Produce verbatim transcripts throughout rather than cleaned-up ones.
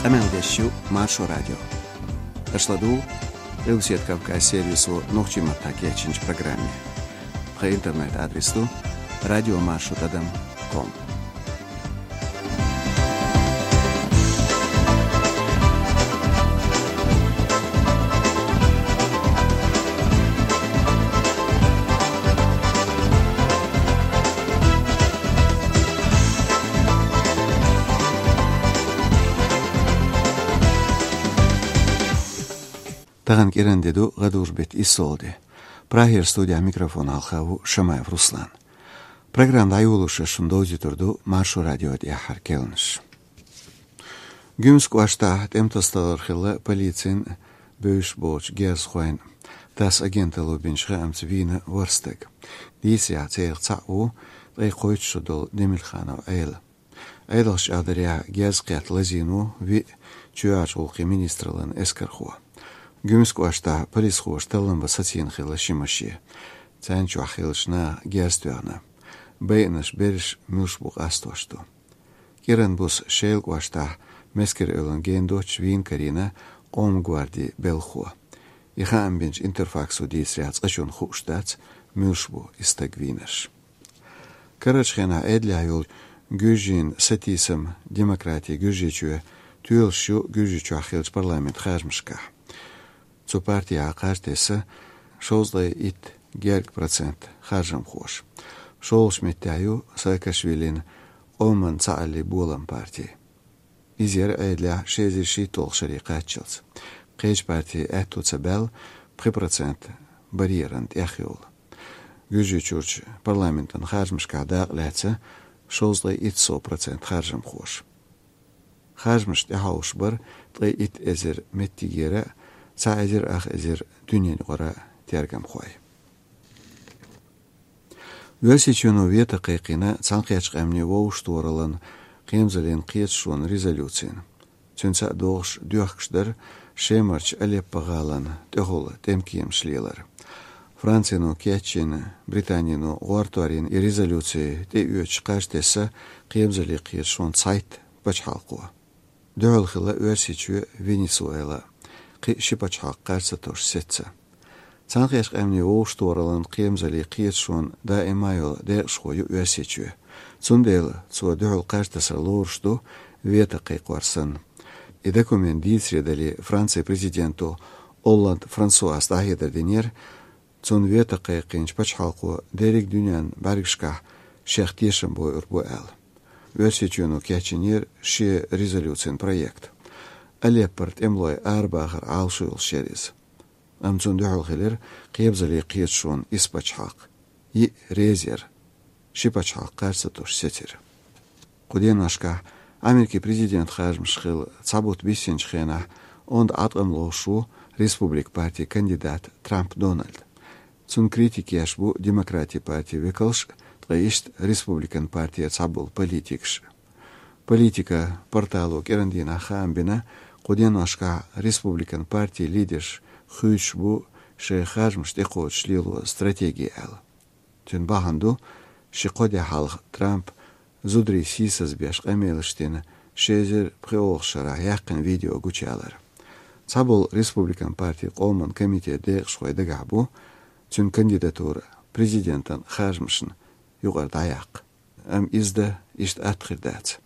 Къамел деш ю Маршо радио. Аша ладугӀу Къилбаседа Кавказ сервисо нохчийн маттахь кечйинчу программе. Тхан интернет-адрес ду радиомаршо тӀадам ком. Тахана кӀиран де ду, гӀадужу беттан иссалгӀа де. Прагера студехь микрофон хьалха ву Шамаев Руслан. Программа дӀайолалуш шуна довзуьйтур ду Маршо радион тӀаьххьара керланаш. Гуьмсан кӀоштахь тӀемтасадалар хилла полицин бевзаш болчу герзахойн. ТАСС агенталло бинчу хаамца вийна ворхӀ стаг. Дийцарехь, царах цхьаъ ву ткъе кхойтта шо долу Демирханов Ӏела. Ӏедалша чӀагӀдарехь, герз кхетта лазийна ву виъ чоьхьарчу гӀуллакхийн министраллин эскархо. Гуьмсан кӀоштахь полисхоша таллам бан сацийна хилла ши машен. Царна чохь хиллачу наха герз тоьхна. Байинарш берриш муьлш бу къастош ду. КӀиран буса Шелан кӀоштахь Мескер-Эвлан гена доцчу вийна карийна Къоман гвардин белхахо. И хаам бинчу Интерфаксо дийцарехь, цкъачунна хууш дац, муьлш бу и стаг вийнарш. Карарчу хенахь Ӏедалехь йолчу Гуьржийн сатийсам, демократи Гуьржийчоь тоьлуш ю Гуьржийчохь хиллачу парламентан харжамашкахь. Цу партехь кхаж тесна шовзткъе итт гергга процент харжамхоша. ШолгӀачу меттехь ю Саакашвилин Къоман цхьааллин болам парти. Иза яра Ӏедалехь ши эзар шийтталгӀачу шаре кхаччалц. Кхечу партийн аьтту ца баьлла пхи процент барьеран тӀехйовла. Гуьржийчуьрчу парламентан харжамашкахь дакъа лаьцна шовзткъе итт сов процент харжамхоша. Харжамаш тӀехьовш бара ткъе итт эзар меттигера а, цхьа эзар ах эзар дуьненаюкъара а тергамхой. Оьрсийчоьно вето кхайкхийна Цхьаьнакхеттачу Къаьмнийн Вовшахтохараллин кхерамзаллин кхеташонан резолюцина. Цуьнца а догӀуш доьхкуш дара Шемарчу Алеппо-гӀалина тӀехула тӀемкеманаш лелар. Францино кечйина, Британино гӀортор йина и резолюци тӀеоьцуш кхаж тесна кхерамзаллин кхеташонан цхьайтта пачхьалкхо. Дуьхьал хилла Оьрсийчоь, Венесуэла, кхин а ши пачхьалкх кхаж ца тосуш сецна. Цхьаьнакхеттачу Къаьмнийн Вовшахтохараллин кхерамзаллин кхеташонан даима йолу декъашхо ю Оьрсийчоь. Цундела цо дуьхьал кхаж тасар лоруш ду, вето кхайкхор санна. И документ дийцаре дале, Францин президенто Олланд Франсуас дӀахьедар динера, цунна вето кхайкхийначу пачхьалкхо дерриг дуьненан бӀаьргашкахь шех тешам бойур бу аьлла. Оьрсийчоьно кечйинера шен резолюцин проект. Алеппора тӀемалой арабахар Ӏалашо йолуш яра иза. Амма цунна дуьхьал хилира кхерамзаллин кхеташонан исс пачхьалкх. Йиъ реза яра. Ши пачхьалкх кхаж ца тосуш сецира. Кху деношкахь Америкин президентан харжамаш хилла цхьа бутт биссинчу хенахь онда Ӏаткъам ловш ву Республикан партин кандидат Трамп Дональд. Цунна критика еш бу Демократийн партин векалш а, ткъа иштта Республикан партера цхьаболу политикаш а. Политика портало кӀиран дийнахь хаам бина, кху деношкахь Республикан партин лидерш хуьйцуш бу шайн харжамаш тӀекхочуш лело стратеги аьлла. Цуьнан бахьана ду, ши-кхо де хьалха Трампа зударий сийсазбеш къамелаш дина ши эзар пхоьалгӀачу шарахь яьккхина видео гучуялар. Цхьаболу Республикан партин Къоман комитетан декъашхой дагахь бу цуьнан кандидатура президентан харжамашна юкъара дӀаяккха. Амма иза дан иштта атта хир дац.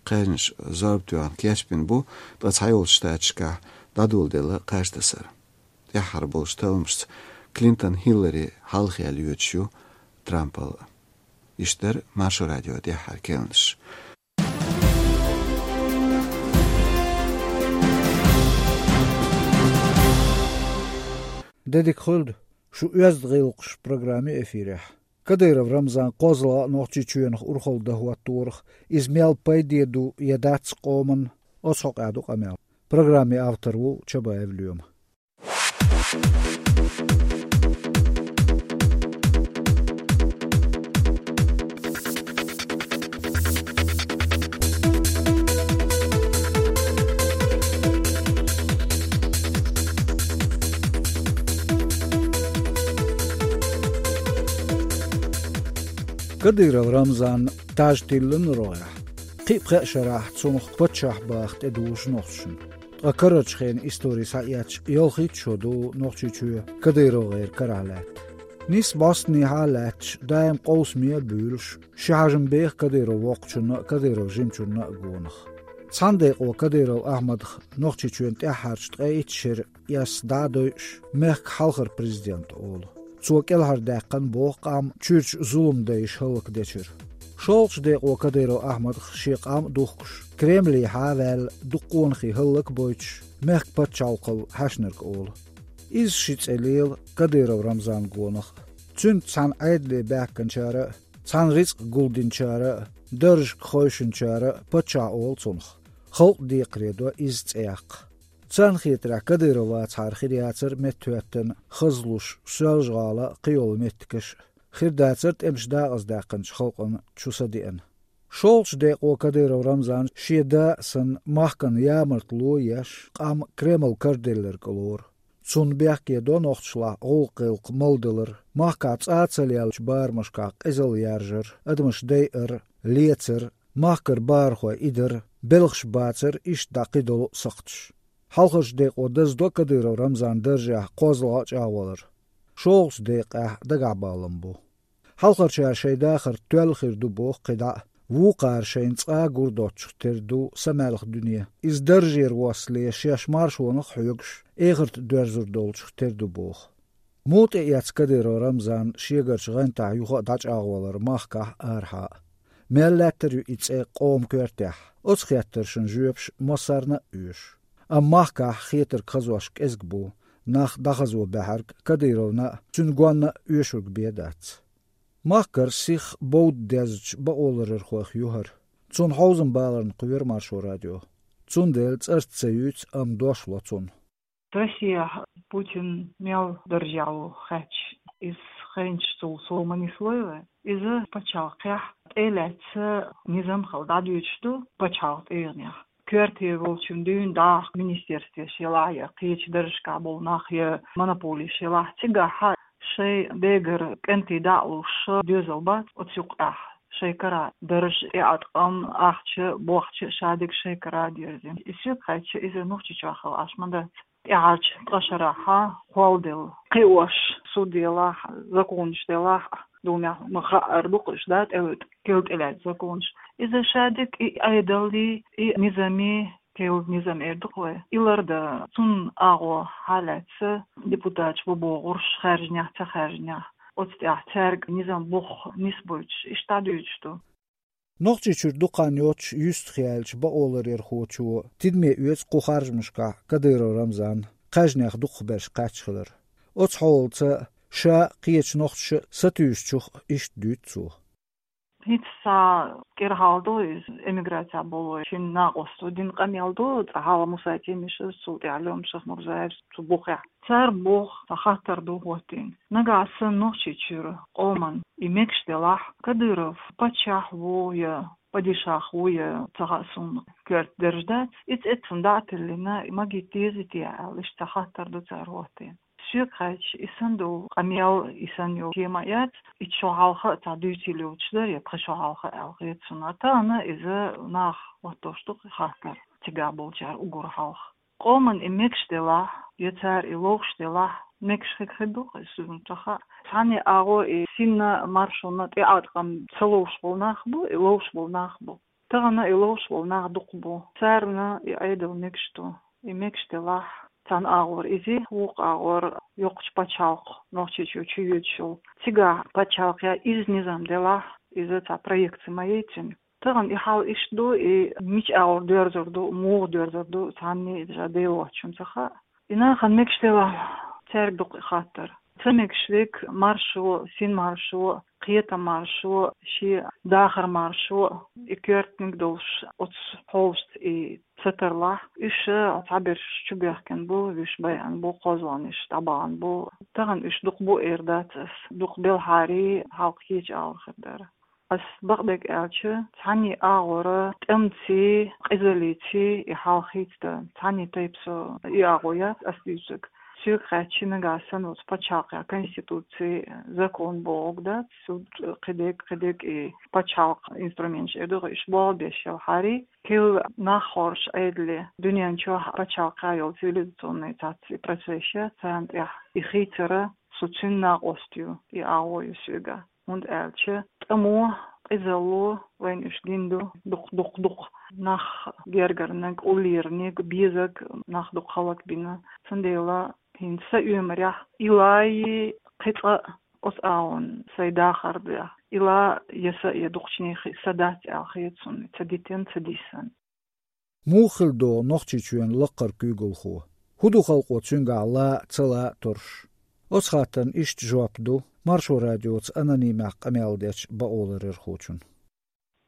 Кхаьжнаш зорба тоьхна кечбина бу, ткъа цхьайолчу штаташкахь дӀадоладелла кхаж тасар. ТӀаьххьара болчу талламашца Клинтон Хиллари хьалхаяьлла йоьдуш ю Трампал. Иштта дара Маршо радион тӀаьххьара керланаш. Де дика хуьлда, шу оьзда гӀиллакхаш программа ю эфирехь. Кадыров Рамзан кхозлагӀа а Нохчийчоьнах урхалла дан хӀотторах, иза мел пайде ду я дац къоманна, оцу хьокъехь ду къамел. Программин автор ву Чабаев Лоьма. Кадыров Рамзанна таж тиллина рогӀехь. Кхин а пхеа шарахь цунах паччахь баха тӀедужу нохчашна. Ткъа карарчу хенан истори схьаэцча, ялхитта шо ду Нохчийчоь КадыровгӀеран карахь лаьтта. Нийсса бӀостанехьа а лаьтташ, даим къовсаме а буьйлуш, ши хьажам беха Кадыров воккхачунна а, Кадыров жимачунна а гонах. Цхьана декъо Кадыров Ахьмадах Нохчийчоьнан тӀаьххьарчу ткъе итт шеран эс дӀа а дойуш, мехкан хьалхара президент олу. Цо кӀелхьардаьккхина боху къам чуьрачу зуламдайша хӀаллакдечуьра. ШолгӀачу декъо Кадыров Ахьмадах шен къам а духкуш, Кремлехьа а ваьлла, дукха къонахий хӀаллакбойтуш, мехкан пачхьалкхал хьаьшнарг олу. Иза ши цӀе лела Кадыров Рамзанна гонах а. Цуьнца цхьаьна Ӏедале баьхкинчара а, цхьаьна рицкъ гулдинчара а, даржашка хевшинчара а паччахь олу цунах. Халкъ декхаре до иза цӀе яккха. Царна хетарехь, Кадыров вацахьара хир яцара меттахӀоьттина хазлуш Соьлжа-ГӀала а, кхийолу меттигаш а, хир дацара тӀемаш дакъаздаьккхинчу халкъана чу са деана. ШолгӀачу декъо Кадыров Рамзан шен да а санна, махкана ямартло а еш, къам Кремль караделларг лору. Цунна бехке до нохчашлахь гӀуллакх-гӀиллакх малдалар, махкахь цӀа а ца леллачу барамашкахь къизалла яржар, адамаш дайар, лецар, махкара бахархой идар, белхаш бацар, иштта дӀа кхидолу а сакхташ. Хьалхарчу декъо даздо Кадыров Рамзан даржехь кхозлагӀа а чӀагӀвалар. ШолгӀачу декъехь дагахь балам бу. Хьалхарчара шайн дахар тоьлла хир ду боху кхидӀа а, вукхара шайна цкъа а гур доцчух тера ду самаьлха дуьне. Иза даржера воссале шаьш маршонах а хьоьгуш, эхарта доьрзур долчух тера ду боху. Муха тӀеэцна Кадыров Рамзан шегарчу гӀантахь юха а дӀачӀагӀвалар махкахь а, арахьа а? Мел лаьттар ю и цӀе къоман коьртехь? Оцу хеттаршна жоьпаш массарна а оьшу. Амма махкахь хетарг хазош кӀезиг бу, нах дӀахазо баьхьарг Кадыровна а, цуьнан гонна а оьшург бен дац. Махкара сиха бовда дезачу бакъоларъярхойх ю хӀара. Цунна хьовзам баларна кхоьру Маршо радио. Цундела цӀарца ца юьйцу, амма дош ло цунна. Россияхь Путин мел даржехь ву хаьттича, иза хенчу цул сов ма нислой вай. Иза пачхьалкхехь тӀе а лаьцна низам хила дӀадоьдуш ду пачхьалкхан тӀегӀанехь. Коьрте волчун дуьйна дӀахо министерствеш елахь я кхечу даржашкахь болу нах я монополеш елахь, цигахь шайн дегара кӀентий дӀа а луш доьзал бац оцу юккъехь шайн кара дарж, тӀеӀаткъам, ахча, бохча шадерг шайн кара а дерзийна. И соьга хаьттича, иза Нохчийчохь хила Ӏаш ма дац. ТӀаьхьарчу ткъа шарахь кхолладелла кхиош, суд елахь, законаш делахь, Думехь ма хаьара ду-кх уьш, да, тӀелуьйту, кел тӀелаьцна законаш. Иза шадерг и Ӏедаллий, и низамий, кел низам эр ду-кх вай, и лардан, цунна агӀо хьалаьцна депутаташ бан богӀурш, хаьржинехь, ца хаьржинехь, оцу тӀехь цаьрга низам бух нисбойтуш, иштта дӀадоьдуш ду. Нохчийчуьра дукха хан йоццуш юьстахъяьллачу бакъоларъярхочо тидаме оьцу кху харжамашкахь Кадыров Рамзан кхаьжнех дукхахберш кхаьчна хилар. Оцу хьолаца ша а, кхечу нохчаша а сатуьйсучух иштта дуьйцу цо. ХӀинца цхьа кӀира хьал ду иза, эмиграцехь болу шина накъосто дина къамел ду, цкъа хьалха Муса Темишев, цул тӀаьхьа Лёма Шахмурзаев цу бухехь. Цара боху, цхьа хаттар ду хӀоттийна. Нагахь санна Нохчийчуьра къоман и мегаш делахь, Кадыров паччахь ву я падишах ву я, ца хаьа суна, коьрта дарж дац, и цӀе цунна дӀа а тиллина, магийта дезий те аьлла, иштта цхьа хаттар ду цара хӀоттийна. Соьга хаьттича, и санна долу къамел, и санна йолу тема яц, итт шо хьалха а цхьа дуьйцийла йоцуш дара, я пхи шо хьалха аьлла хета суна. Тахана иза наха хӀоттош ду-кх и хаттар, цигахь болчара уггар хьалха. Къоман и мегаш делахь, я цара и ловш делахь, мегаш хир ду-кх иза, суна ца хаьа. Цхьанне агӀо и синна, маршонна тӀеӀаткъам ца ловш болу нах бу, и ловш болу нах бу. Тахана и ловш болу нах дукха бу. Царна и Ӏедал мегаш ду. И мегаш делахь, цхьана агӀор иза, вукху агӀор йоккхачу пачхьалкх Нохчийчу чу йоьдуш йолу. Цигахь пачхьалкхехь иза низам делахь, иза цхьа проекция ма яй цуьнан. Тахана и хьал иштта ду, и мича агӀор доьрзур ду, муха доьрзур ду, цхьанне а иза Дела воцчунна ца хаьа. И нахана мегаш делахь, цаьрга ду-кх и хаттар. Ца мегаш верг маршо, синмаршо, кхетамаршо, шен дахармаршо, и коьртаниг долуш оцу хьолашца и ца тарлахь, уьш цхьаберш чубоьхкина бу, вуьш байина бу, кхозлагӀнаш дӀабахана бу. Тахана уьш дукха бу эр дац ас, дукха белхьарий, хьалха кхечу агӀор хир дара. Ас бакъдерг аьлча, цхьанне агӀора тӀемций, къизаллиций и хьал хийцадан, цхьанне тайпа со и агӀо яц ас дуьйцург. Соьга хаьттича, нагахь санна оцу пачхьалкхехь конституци, закон бохург дац, суд, кхидерг, кхидерг и пачхьалкхан инструменташ эр ду, уьш болх беш йолу хьарий, кхин нах хоржуш Ӏедале, дуьнен чохь пачхьалкхехь йолу цивилизационный цхьацца и процесс ю, царна тӀехь и хийцар, со цуьнан накъост ю, и агӀо ю соьга. ХӀунда аьлча тӀамо, къизалло вайна уьш гина ду, дукха, дукха, дукха нах гергарниг, уллерниг, безарг нах дукха хӀаллакбина. Цундела хӀинца сан оьмарехь, и лай кхин цкъа а оцу агӀонна сайн дахар ду, и ла я са, я дукхачу нехан са дац аьлла хета суна, ца дитина, ца дисина. Муха хила догӀу Нохчийчоьнан лакхара куьйгалхо? ХӀун ду халкъо цуьнгахь лан а, ца лан а торш? Оцу хаттарна иштта жоп ду Маршо радиоца анонимехь къамел дечу бакъоларъярхочун.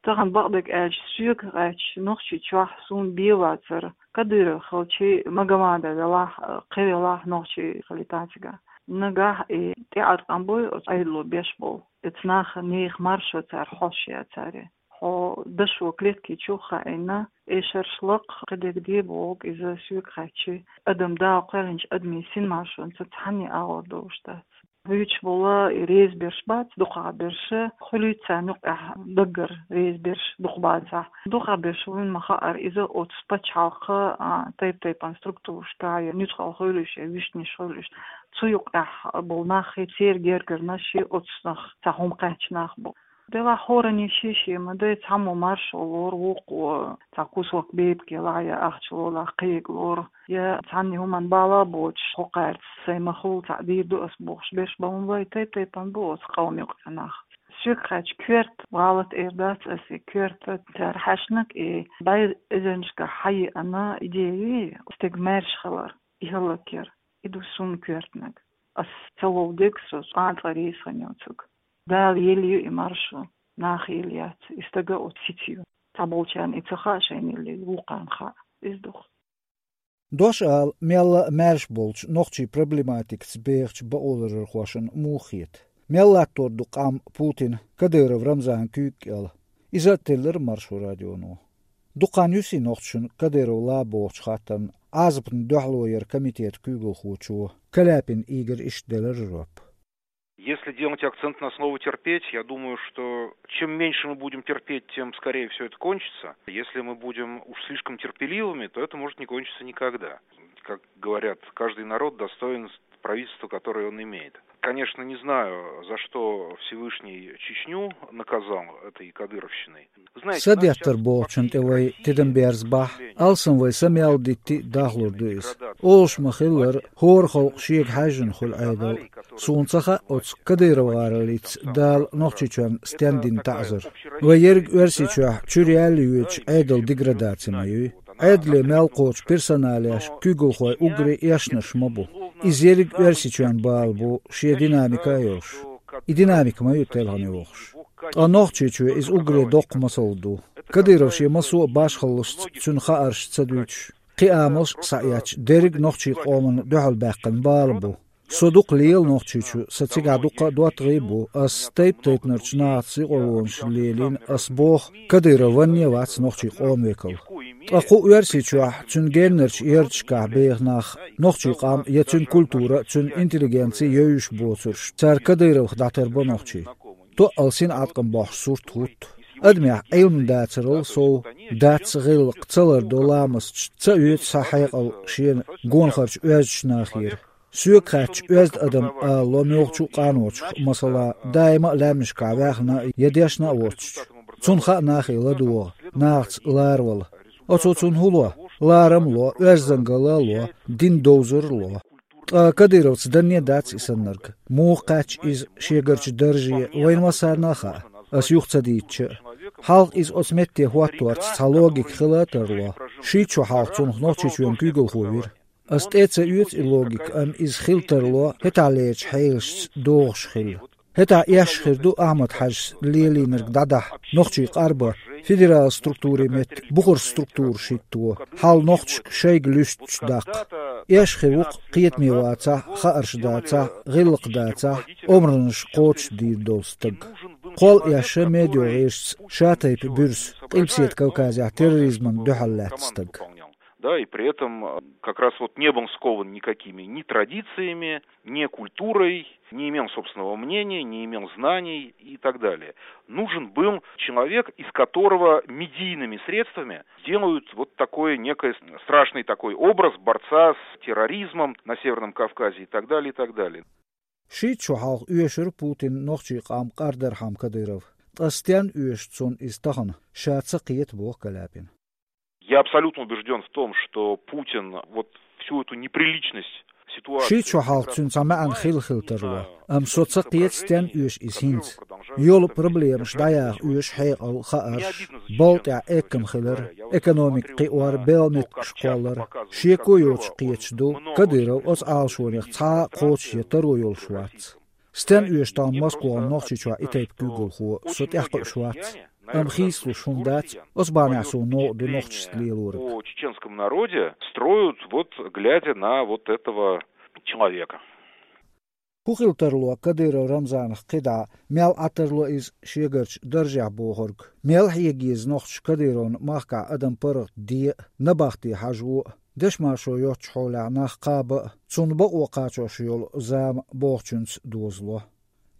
Тахана бакъдерг аьлча, соьга хаьттича, Нохчийчохь суна бен вацара, Кадыров хилчий, Магомадов велахь, кхин велахь, нохчий хилийтахь цигахь. Нагахь и тӀеӀаткъам буй оцу Ӏедало беш болу, оцу наха, нехан маршо цара хьош яцара. Хьо дашо клетки чу хаийна, эшарш лакха, кхидерг де бохург иза соьга хаьттича, адам Дала кхоьллинчу адамийн синмаршонца цхьанне агӀор долуш дац. Вуьйцуш болу и реза берш бац, дукхахберш, хуьлуьйту царна юкъехь даггара реза берш дукха бацахь. Дукхахберш вуьйна ма хаара, иза оцу пачхьалкхан, а, тайп-тайпана структурашкахь я нуьцкъала хуьлуш, я вуьшнаш хуьлуш, цу юкъехь болу нах, и церан гергарнаш, и оцу нах, цхьа хӀума кхаьчна нах бу. Делахь хӀоранна шен-шен ма дай, цхьаммо маршо лору, вукхо цхьа кусок бепиг лору, я ахча лору, кхин а лору, я цхьанна хӀуманна бала боцуш, хӀокхаьрца сайн ма хуьллу, цхьаъ дийр ду ас бохуш берш бан вай, тайп-тайпана бу оцу къоман юкъахь нах. Соьга хаьттича, коьрта гӀалат эр дац ас, и коьрта цара хьаьшнаг, и бӀе эзарнашкахь хьайеана идея, стеган маьрша хилар, и хӀаллакьяр, и ду суна коьртаниг. Ас ца вовдерг, со цкъа а реза ца хилла цуьнга. Дала елла ю и маршо, наха елла яц, и стага оцу сица ю. Цхьаболчарна и ца хаьа шайна елла, вукхарна хаьа. Иза ду-кх. Дош ала, мелла а маьрша болчу нохчийн проблематикаца бехачу бакъоларъярхошна муха хета? Мел латтор ду къам Путин, Кадыров Рамзан куьйга кӀел? Иза а теллира Маршо радионо. Дукха хан юьсу нохчашна Кадыров лан бохучу хаттарна Ӏазапна дуьхьало яран комитетан куьйгалхочо Каляпин Игоря иштта делира жоп. Если делать акцент на слово «терпеть», я думаю, что чем меньше мы будем терпеть, тем скорее все это кончится. Если мы будем уж слишком терпеливыми, то это может не кончиться никогда. Как говорят, каждый народ достоин правительства, которое он имеет. Конечно, не знаю, за что Всевышний Чечню наказал этой кадыровщиной. Садеттар бохучун тӀе вай тидам берзабахь, алсам вай са мел дитти а дахлур ду иза. Олуш ма-хиллара, хӀора халкъ шега хьаьжжина хуьлу Ӏедал. Суна ца хаьа оцу Кадыров гӀароллица Дала Нохчийчоьнна стенна дина таӀзар. Вай ерриг Оьрсийчохь чуьра яьлла йоьдуш Ӏедалан деградаци ма юй. Ӏедале мел кхочу персоналеш, куьйгалхой уггаре эшнарш ма бу. Иза ерриг Оьрсийчоьнан бала бу, шен динамика а йолуш. И динамика ма ю телхина йохуш. Ткъа Нохчийчоь иза уггаре доккха масал ду. Кадыров шен массо а башхаллашца цуьнан хаарш ца дуьйцуш, кхин амалш а схьаэцча, дерриг а нохчийн къомана дуьхьал баьккхина бала бу. Со дукха лела Нохчийчу, сан цигахь дуккха а доттагӀий а бу, ас тайп-тайпанарчу нахаца юкъарлонаш лелийна, ас боху, Кадыров ванне а вац нохчийн къоман векал. Ткъа кху Оьрсийчохь, цуьнан геннарчу ярташкахь беха нах, нохчийн къам я цуьнан культура, цуьнан интеллигенци евзаш боцурш, цара Кадыровх дӀатарбо нохчий. Тоъал синӀаткъам бохьуш сурт хӀутту. Адамехь Ӏилма дацарал сов, дац гӀиллакх, ца лардо ламасташ, ца оьцу схьа хьекъал шена гонахарчу оьздачу нахера. Соьга хаьттича, оьзда адам ала ло муьлххачу а къаночух, масала, даима а лаьмнашкахь ваьхна а я дешна а воцчу. Цунна хаьа нахе ладогӀа, нахаца ларавала. Оцо цунна хӀун ло? Ларам а ло, оьздангалла а ло, дин довзар а ло. Ткъа Кадыровца данне а дац и саннарг. Муха кхаьчча иза шегарчу дарже, вайна массарна а хаьа, ас юха ца дийцча а. Хьалха иза оцу метте хӀотторца цхьа логика хила а тарло. Шийтта шо хьалха цунах Нохчийчоьнан куьйгалхо вира. Ас тӀе а ца оьцу и логика, амма иза хила тарло, хӀетахьлерчу хьелашца догӀуш хилла. ХӀетахь эшна хир ду Ахьмад-Хьаьжас лелийнарг дӀадахьа, нохчий къарбан, федералан структурийн метта бухарчу структураш хӀитто, хьал нохчашка шайга луьстуш даккха. Эшна хир ву-кх кхетаме вацахь, хаарш дацахь, гӀиллакх дацахь, омранаш кхочушдийр долу стаг. Кхолла эшна медиа гӀирсаца ша-тайпа буьрса, Къилбаседа Кавказехь терроризмана дуьхьал лаьтта стаг. Да, и при этом э, как раз вот не был скован никакими ни традициями, ни культурой, не имел собственного мнения, не имел знаний и так далее. Нужен был человек, из которого медийными средствами делают вот такой некий страшный такой образ борца с терроризмом на Северном Кавказе и так далее, и так далее. Шийтта шо хьалха оьшура Путинна нохчийн къам къардархьама Кадыров. Ткъа стенна оьшу цунна иза тахана, ша ца кхета, боху Каляпина. Я абсолютно убежден в том, что Путин вот всю эту неприличность ситуации... Шийтта шо хьалха цуьнан цхьа маьӀна хилла хила тарло, амма со ца кхета, стенна оьшу иза хӀинца. Йолу проблемаш дӀаяха оьшу хьекъал, хаарш, балха тӀехь эккам хилар, экономика кхиор, белхан меттигаш кхоллар. Шеко йоцуш кхеташ ду, Кадыров оцу Ӏалашонех цхьа а кхочушъян таро йолуш вац. Стенна оьшу тахана Москвахь Нохчийчохь и тайпа куьйгалхо, со тӀекхуьуш вац. Амма хийцалуш хӀума дац, оцу бахьанехь суна новкъа ду нохчашца лелориг. О чеченском народе строят, вот глядя на вот этого человека. ХӀун хила тарло Кадыров Рамзанах кхидӀа, мел Ӏа тарло иза шегарчу даржехь бохург? Мел хьега еза нохчаша Кадыровна махкахь адам паргӀатде а, набахте хьажо а, дешан маршо йоцчу хьолехь нах кхаба а, цунна бакъо кхачош йолу зама бохучуьнца дозало?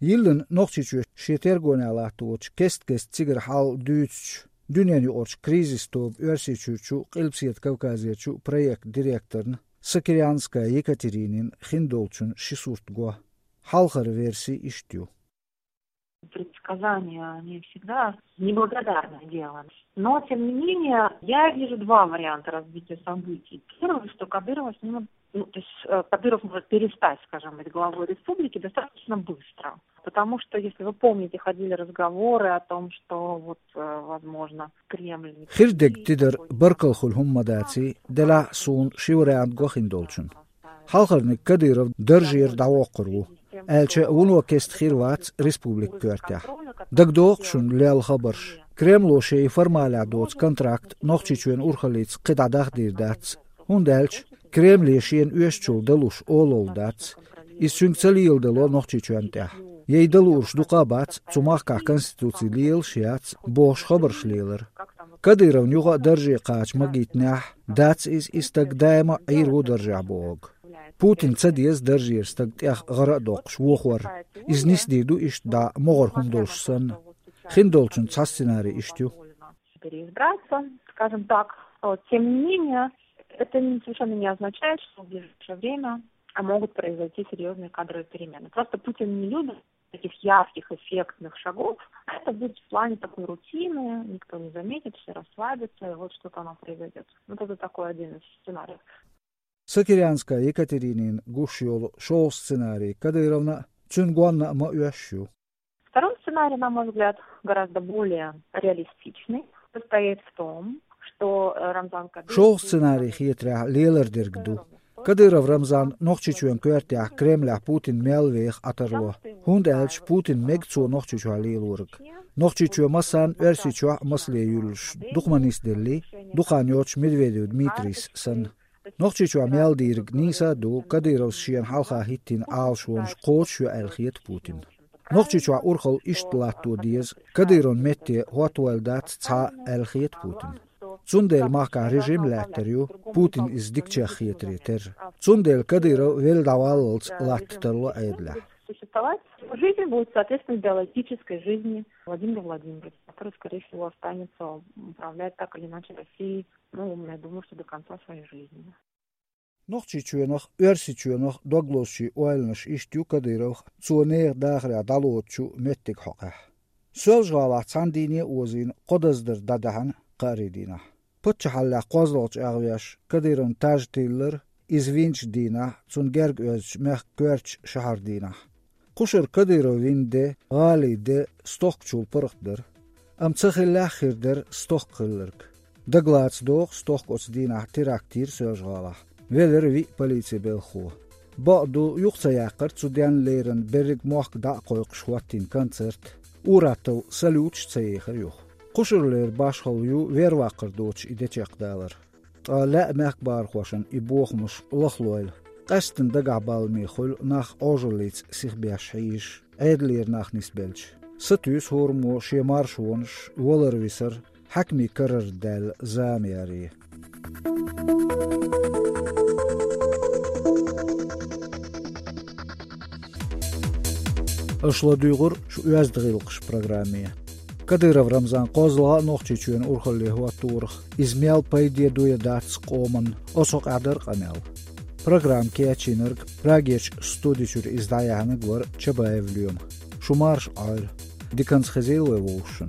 Йиллина Нохчийчоь шен тергонехь латточу кест-кеста цигара хьал дуьйцучу, дуьненаюкъарчу кризис тобан Оьрсийчуьрчу, Къилбаседа Кавказерчу проектан директорна Сокирянская Екатеринина хиндолчун ши сурт го. Хьалхара верси иштта ю. Предсказания, они всегда неблагодарное дело. Но, тем не менее, я вижу два варианта развития событий. Первый, что Кадырова снимут, ну, то есть э, Кадыров может перестать, скажем, быть главой республики достаточно быстро. Потому что, если вы помните, ходили разговоры о том, что вот, э, возможно, Кремль... Хир дерг тидар, баркалла хуьлу хӀума ма даций, делахь а суна ши вариант го хиндолчун. Хьалхарниг Кадыров даржера дӀавоккхур ву, аьлча вуно кеста хир вац республикан коьртехь. ДагадогӀу шуна лелла хабарш? Кремло шайн формалехь доцу контракт Нохчийчоьнан урхаллица кхидӀа дахдийр дац, хӀунда аьлча Кремле шена оьшучул далуш олалла дац. Иза цуьнга ца леладало Нохчийчоьнна тӀехь. Яй далуурш дукха а бац, цу махкахь конституци лелаш а яц, бохуш хабарш лелара. Кадыровна юха а дарже кхача магийтинехь, дац иза и стаг даима а Ӏийр ву даржехь бохург. Путинна ца деза даржера стаг тӀех гӀара а доккхуш вохор. Иза нисдийр ду иштта дӀа могӀара хӀума долуш санна. Хиндолчун цхьа сценарий иштта ю. Переизбраться, скажем так. Вот. Тем не менее, это не, совершенно не означает, что в ближайшее время могут произойти серьезные кадровые перемены. Просто Путин не любит таких ярких, эффектных шагов. А это будет в плане такой рутины, никто не заметит, все расслабятся, и вот что-то оно произойдет. Вот это такой один из сценариев. Сокирянская Екатеринина гуш йолу шолгӀа сценарий Кадыровна а, цуьнан гонна а ма оьшуш ю. Второй сценарий, на мой взгляд, гораздо более реалистичный, состоит в том, что э, Рамзан Кадыров... ШолгӀа сценарий хетарехь лелар дерг ду. Кадыров Рамзан Нохчийчоьнан коьртехь Кремлехь Путин мел веха Ӏа тарло. ХӀунда аьлча Путин мега цо Нохчийчохь лелориг. Нохчийчоь массарна Оьрсийчохь а масале юьллуш дукха ма нисделлий, дукха хан йоцуш Медведев Дмитрийс санна. Нохчийчохь мел дийриг нийса а ду, Кадыровс шена хьалха хӀиттийна Ӏалашонаш кхочушйо аьлла хета Путинна. Нохчийчохь урхалла иштта латто деза, Кадыровн метте хӀоттавойла дац цхьа а аьлла хета Путинна. Цундела махкахь режим лаьттар ю, Путин иза дикачех хетаре терра. Цундела Кадыров велла дӀаваллалц латта тарло Ӏедалехь. Существовать жизнь будет соответственно биологической жизни Владимира Владимировича, который, скорее всего, останется управлять так или иначе Россией, ну, я думаю, что до конца своей жизни. Нохчийчоьнах, Оьрсийчоьнах дог лозучийн ойланаш иштта ю Кадыровх, цо нехан дахарехь дӀалоцучу меттиг хьокъехь. Соьлжа-ГӀалахь цхьана дийне а озийна кхо даздар дӀадаьхьна кхаарин дийнахь. Паччахьаллехь кхозлагӀа чӀагӀвеш Кадыровн таж тиллар, иза винчу дийнахь, цунна герга оьзучу мехкан коьртачу шахьаран дийнахь. Кхушара Кадыров вина де, гӀалин де стохкачул паргӀат дара. Амма ца хиллехь а хир дара стохка хилларг. Дагалаца догӀу стохка оцу дийнахь теракт йира Соьлжа-ГӀалахь. Велара виъ полицин белхахо. Бакъду, юха ца яьккхира цу денна леррина берриг мохк дӀа а кхойкхуш хӀоттийна концерт. Ур-аттал салюташ а ца ехира юха. Кхушарлера башхалла ю верваккхар доцуш и де чекхдалар. Ткъа лаьа мехкбархошна и бохамаш лахлойла, къаьсттина дагахь балламе хуьлу нах Ӏожаллица сихбеш хьийзаш, Ӏедалера нах нисбелча. Сатуьйсу хӀораммо шен маршонаш, валар-висар, хьаькамийн карара даьлла зама яре. Аша ладуьйгӀур шу оьзда гӀиллакхаш программе. Кадыров Рамзан кхозлагӀа а Нохчийчоьнан урхалле хӀоттаверах, иза мел пайде ду я дац къоман, оцу хьокъехь дара къамел. Программа кечйинарг Прагерчу студи чуьра иза дӀаяьхьнарг вара Чабаев Лоьма. Шу марша Ӏойла. Диканца хезийла вай вовшашна.